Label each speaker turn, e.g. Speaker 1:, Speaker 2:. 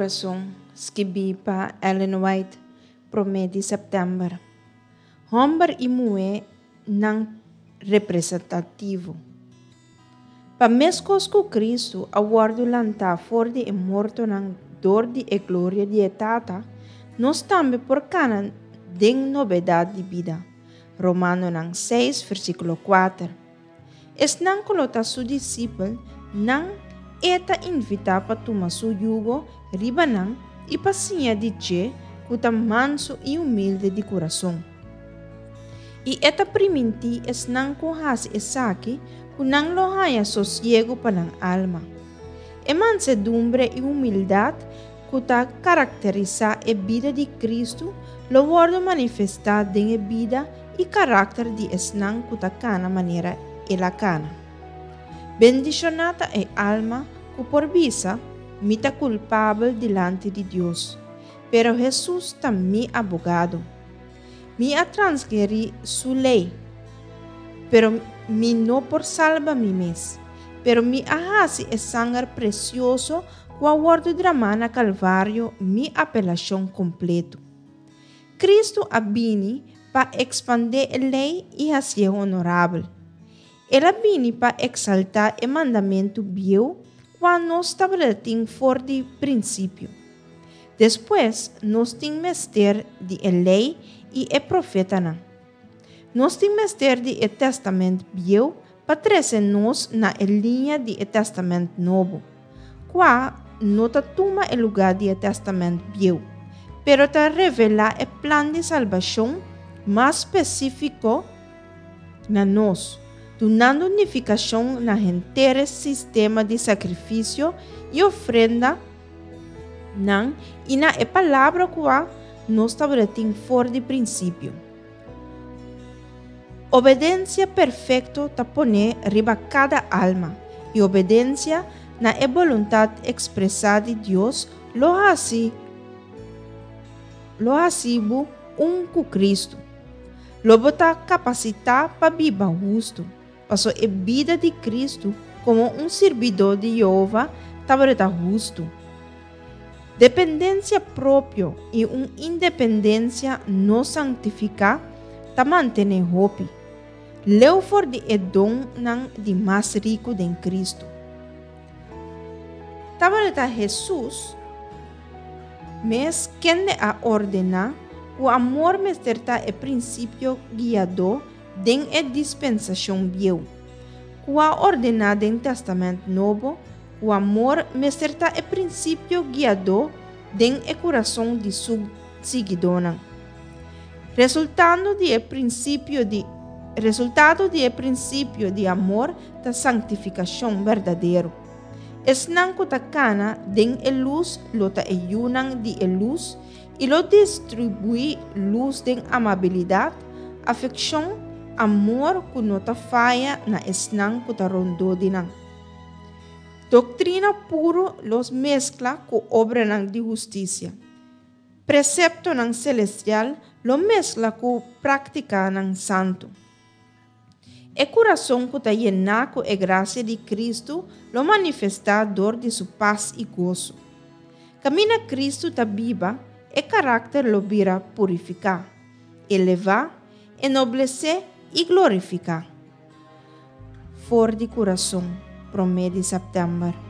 Speaker 1: Kurason, skibí pa Ellen White, promé di sèptèmber. Hòmber i muhé nan representativo. Pa meskos ku Kristu a wòrdu lantá for di e mortonan dor di e gloria di e Tata, nos tambe por kana den nobedat di bida. Romanonan seis, versíkulo kuater. Esnan ku lo ta su disipel nan e ta invitá pa tuma su yugo riba nan i pa siña di dje ku ta mansu i humilde di kurason. I e ta primintí esnan ku hasi esaki ku nan lo haña sosiegu pa nan alma. E mansedumbre i humildat ku ta karakterisá e bida di Kristu lo wòrdu manifestá den e bida i karakter di esnan ku ta kana manera El a kana. Bendishoná ta e alma ku por bisa, Mi ta kulpabel dilanti di Dios, pero Hesus ta mi abogado. Mi a transgerí Su lei, pero mi no por salba mi mes. Pero mi a hasi e sanger presioso ku a wòrdu dramá na Kalvario mi apelashon kompletu. Kristu a bini pa ekspandé e lei i hasié honorabel. El a bini pa eksaltá e mandamentu bieu kua nos tabata tin for di prinsipio. Despues nos tin mester di e lei i e profetanan. Nos tin mester di e Tèstamènt Bieu pa trese nos na e liña di e Tèstamènt Nobo, kua no ta tuma e lugá di e Tèstamènt Bieu, pero ta revelá e plan di salbashon mas spesífiko na nos, dunando nifikashon na henter e sistema di sakrifisio i ofrenda nan i na e palabra kua nos tabata tin for di prinsipio. Obedensia perfekto ta poné riba kada alma, i obedensia na e boluntat ekspresá di Dios lo hasi lo hasi bo un ku Kristu. Lo bo ta kapasitá pa biba hustu, paso e bida di Kristu komo un sirbidó di Yehova tabata hustu. Dependensia propio i un independensia no sanktifiká ta mantené hopi leu for di e donnan di mas riku den Kristu. Tabata Hesus mes kende a ordená ku amor mester ta e prinsipio guiadó den e dispensashon bieu, ku a ordená den Tèstamènt Nobo ku amor mester ta e prinsipio guiadó den e kurason di su siguidónan. Resultando di e prinsipio di Resultado di e prinsipio di amor ta sanktifikashon berdadero. Esnan ku ta kana den e lus lo ta e yunan di e lus i lo distribuí lus den amabilidat, afekshon, amor ku no ta faya na esnan ku ta rondó di nan. Doktrina puru lo meskla ku obranan di hustisia. Preseptonan selestial lo meskla ku práktikanan santu. E kurason ku ta yená ku e grasia di Kristu lo manifestá dor di su pas i goso. Kaminda Kristu ta biba, e karakter lo bira purifiká, elevá, enoblesé i glorifiká. For di kurason, promé di sèptèmber.